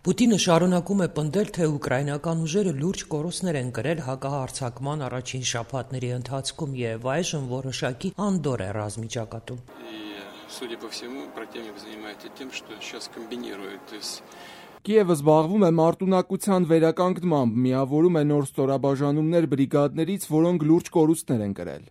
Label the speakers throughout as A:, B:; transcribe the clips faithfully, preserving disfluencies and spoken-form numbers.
A: Պուտինը շարունակում է պնդել, թե ուկրաինական ուժերը լուրջ կորուստներ են կրել հակահարձակման առաջին շաբաթների ընթացքում եւ այժմ որոշակի անդորր է ռազմիճակատում։
B: Կիևը զբաղվում է մարտունակության վերականգնմամբ, միավորում է նոր ստորաբաժանումներ բրիգադներից, որոնք լուրջ կորուստներ են կրել։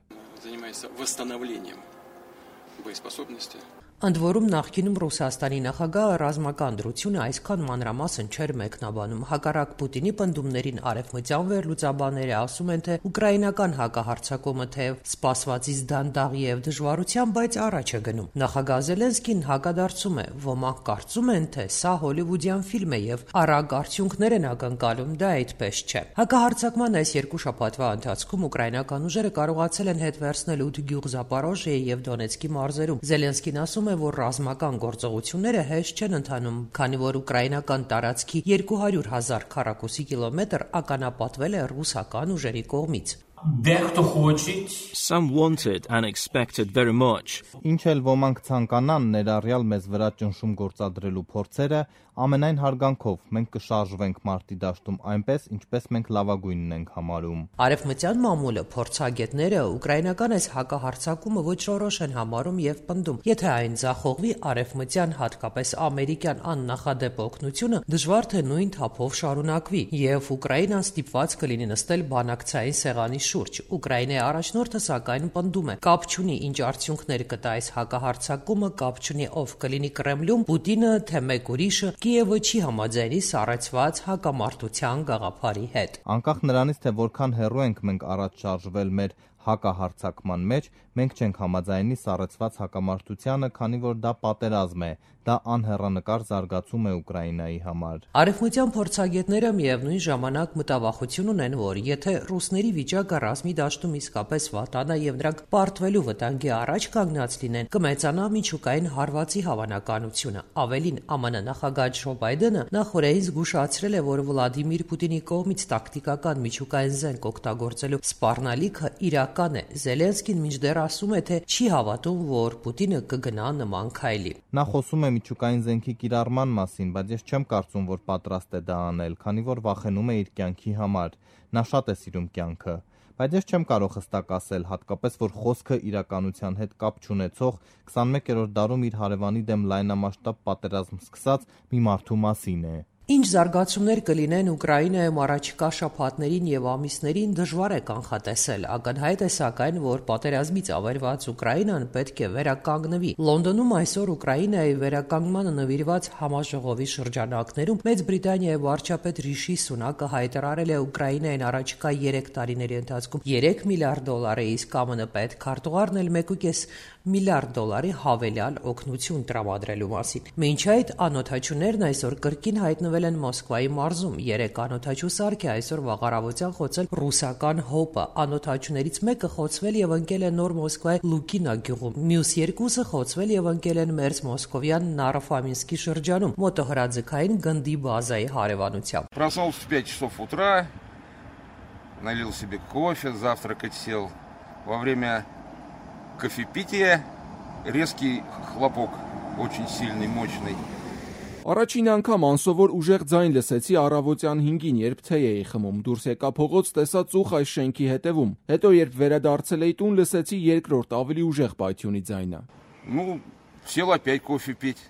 A: Ընդ որում նախկինում Ռուսաստանի նախագահը ռազմական դրությունը այսքան մանրամասն չէր մեկնաբանում։ Հակառակ Պուտինի պնդումներին արևմտյան վերլուծաբանները ասում են, թե ուկրաինական հակահարձակումը թեև սպասվածից դանդաղ եւ դժվարությամբ, բայց առաջ է գնում։ Նախագահ Զելենսկին հակադարձում է. ոմանք կարծում են, թե սա հոլիվուդյան ֆիլմ է եւ արագ արդյունքներ են ակնկալում, դա այդպես չէ։ Հակահարձակման այս երկու շաբաթվա ընթացքում ուկրաինական ուժերը կարողացել են հետ վերցնել ութ գյուղ Զապորոժիեի եւ Դոնեցկի մարզերում։ Զելենսկին ասում է, որ ռազմական գործողությունները հեշտ չեն ընթանում, քանի որ ուկրաինական տարածքի երկու հարյուր հազար քառակուսի կիլոմետր ականապատվել է ռուսական ուժերի կողմից։
C: Some wanted and expected very much.
D: Ինչ էլ ոմանք ցանկանան ներառյալ մեզ վրա ճնշում գործադրելու փորձերը, ամենայն հարգանքով մենք կշարժվենք մարտի դաշտում այնպես, ինչպես մենք լավագույնն ենք համարում։
A: Արևմտյան մամուլը, փորձագետները ուկրաինական այս հակահարձակումը ոչռորոշ են համարում եւ պնդում, եթե այն ձախողվի, արևմտյան, հատկապես ամերիկյան աննախադեպ օգնությունը դժվար թե նույն թափով շարունակվի եւ Ուկրաինան ստիպված կլինի նստել բանակցային սեղանի շուրջ։ Ուկրաինայի առաջնորդը սակայն պնդում է, կապ չունի ինչ արդյունքներ կտա այս հակահարձակումը, կապ չունի ով կլինի Կրեմլում, Պուտինը թե մեկ ուրիշը, Կիևը չի համաձայնի սառեցված հակամարտության գաղափարի հետ։
D: Անկախ նրանից, թե որքան հեռու ենք մենք առաջ շարժվել մեր հակահարձակման մեջ, մենք չենք համաձայնի սառեցված հակամարտությանը, քանի որ դա պատերազմ է, դա անհեռանկար զարգացում է Ուկրաինայի համար։
A: Արևմտյան փորձագետները միևնույն ժամանակ մտավախություն ունեն, որ եթե ռուսների վիճակը ռազմի դաշտում իսկապես վատանա եւ նրանք պարտվելու վտանգի առաջ կանգնած լինեն, կմեծանա միջուկային հարվածի հավանականությունը։ Ավելին, ԱՄՆ նախագահ Ջո Բայդենը նախորդին զգուշացրել է, որ Վլադիմիր Պուտինի կողմից տակտիկական միջուկային զենք օգտագործելու սպառնալիքը իրական է։ Զելենսկին մինչդեռ ասում է, թե չի հավատում, որ Պուտինը կգնա նման քայլի։
D: Նա խոսում է միջուկային զենքի կիրառման մասին, բայց ես չեմ կարծում, որ պատրաստ է դա անել, քանի որ վախենում է իր կյանքի համար։ Նա շատ է սիրում կյանքը, բայց ես չեմ կարող հստակ ասել, հատկապես որ խոսքը իրականության հետ կապ չունեցող քսանմեկերորդ դարում իր հարևանի դեմ լայնամասշտաբ պատերազմ սկսած մի մարդու մասին է։
A: Ինչ զարգացումներ կլինեն Ուկրաինայում առաջիկա շաբաթներին եւ ամիսներին դժվար է կանխատեսել։ Ակնհայտ է սակայն, որ պատերազմից ավերված Ուկրաինան պետք է վերականգնվի։ Լոնդոնում այսօր Ուկրաինայի վերականգնմանը նվիրված համաժողովի շրջանակներում Մեծ Բրիտանիայի վարչապետ Ռիշի Սունակը հայտարարել է Ուկրաինային առաջիկա երեք տարիների ընթացքում երեք միլիարդ դոլարի, իսկ ԱՄՆ պետքարտուղարն էլ մեկ կես միլիարդ դոլարի հավելյալ օգնություն տրամադրելու մասին։ Մինչ այդ անօթաչուներն այսօր կրկին հայտնվել են Մոսկվայի մարզում։ Երեք անօթաչու սարք է այսօր վաղարավոցյան խոցել ռուսական հոպը։ Անօթաչուներից մեկը խոցվել եւ ընկել է Նոր Մոսկվայի Լուկինա գյուղում։ Մյուս երկուսը խոցվել եւ ընկել են Մերձ Մոսկովյան Նարոֆամինսկի շրջանում մոտոհրաձգային գնդի բազայի հարևանությամբ։
E: Проснулся в пять часов утра, налил себе кофе, завтракать сел. Во время кофепития резкий хлопок, очень сильный, мощный.
B: Առաջին անգամ անսովոր ուժեղ ձայն լսեցի առավոտյան հինգին, երբ թեյ էի խմում, դուրս եկա փողոց, տեսա ծուխ այս շենքի հետևում։ Հետո երբ վերադարձել էի տուն, լսեցի երկրորդ ավելի ուժեղ պայթյունի ձայնը։
E: Ну, сел опять кофе пить.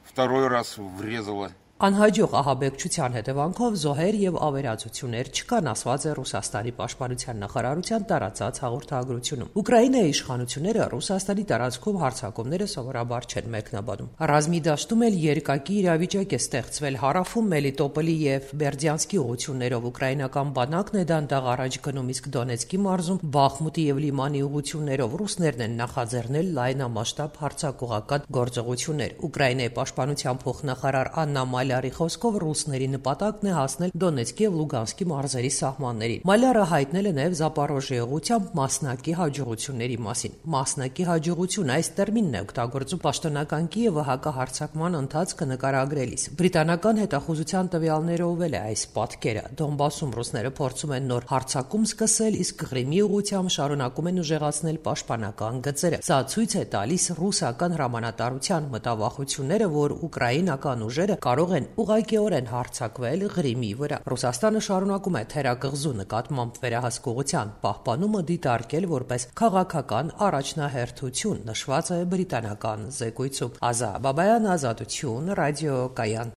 E: Второй раз врезало.
A: Անհաջող ահաբեկչության հետևանքով զոհեր եւ ավերածություններ չկան, ասված է Ռուսաստանի պաշտպանության նախարարության տարածած հաղորդագրությունում։ Ուկրաինայի իշխանությունները Ռուսաստանի տարածքում հարձակումները սովորաբար չեն մեկնաբանում։ Ռազմի դաշտում էլ երկակի իրավիճակ է ստեղծվել հարավում Մելիտոպոլի եւ Բերդյանսկի ուղություններով ուկրաինական բանակն է դանդաղ առաջ գնում, իսկ Դոնեցկի մարզում Բախմուտի եւ Լիմանի ուղություններով ռուսներն են նախաձեռնել լայնամասշտաբ հարձակողական գործողություններ։ Ուկրաինայի պաշտպանության փոխնախարար Աննա Մալյարի խոսքով ռուսների նպատակն է հասնել Դոնեցկի եւ Լուգանսկի մարզերի սահմաններին։ Մալյարը հայտնել է նաեւ Զապորոժիեի ուղղությամբ մասնակի հաջողությունների մասին։ Մասնակի հաջողություն այս տերմինն է օգտագործում պաշտոնական Կիևը հակահարձակման ընթացքը նկարագրելիս։ Բրիտանական հետախուզության տվյալներով էլ է այս պատկերը։ Դոնբասում ռուսները փորձում են նոր հարձակում սկսել, իսկ Ղրիմի ուղղությամբ շարունակում են ուժեղացնել պաշտպանական գծերը։ Սա ցույց է տալիս ռուսական հրամանատարության մտավախությունները, որ ուկրաինական ուժերը կարող են են ուղղակիորեն հարձակվել Ղրիմի վրա։ Ռուսաստանը շարունակում է թերակղզու նկատմամբ վերահսկողության պահպանումը դիտարկել որպես քաղաքական առաջնահերթություն, նշված է բրիտանական զեկույցում։ Ազա Բաբայան, Ազատություն, ռադիոկայան։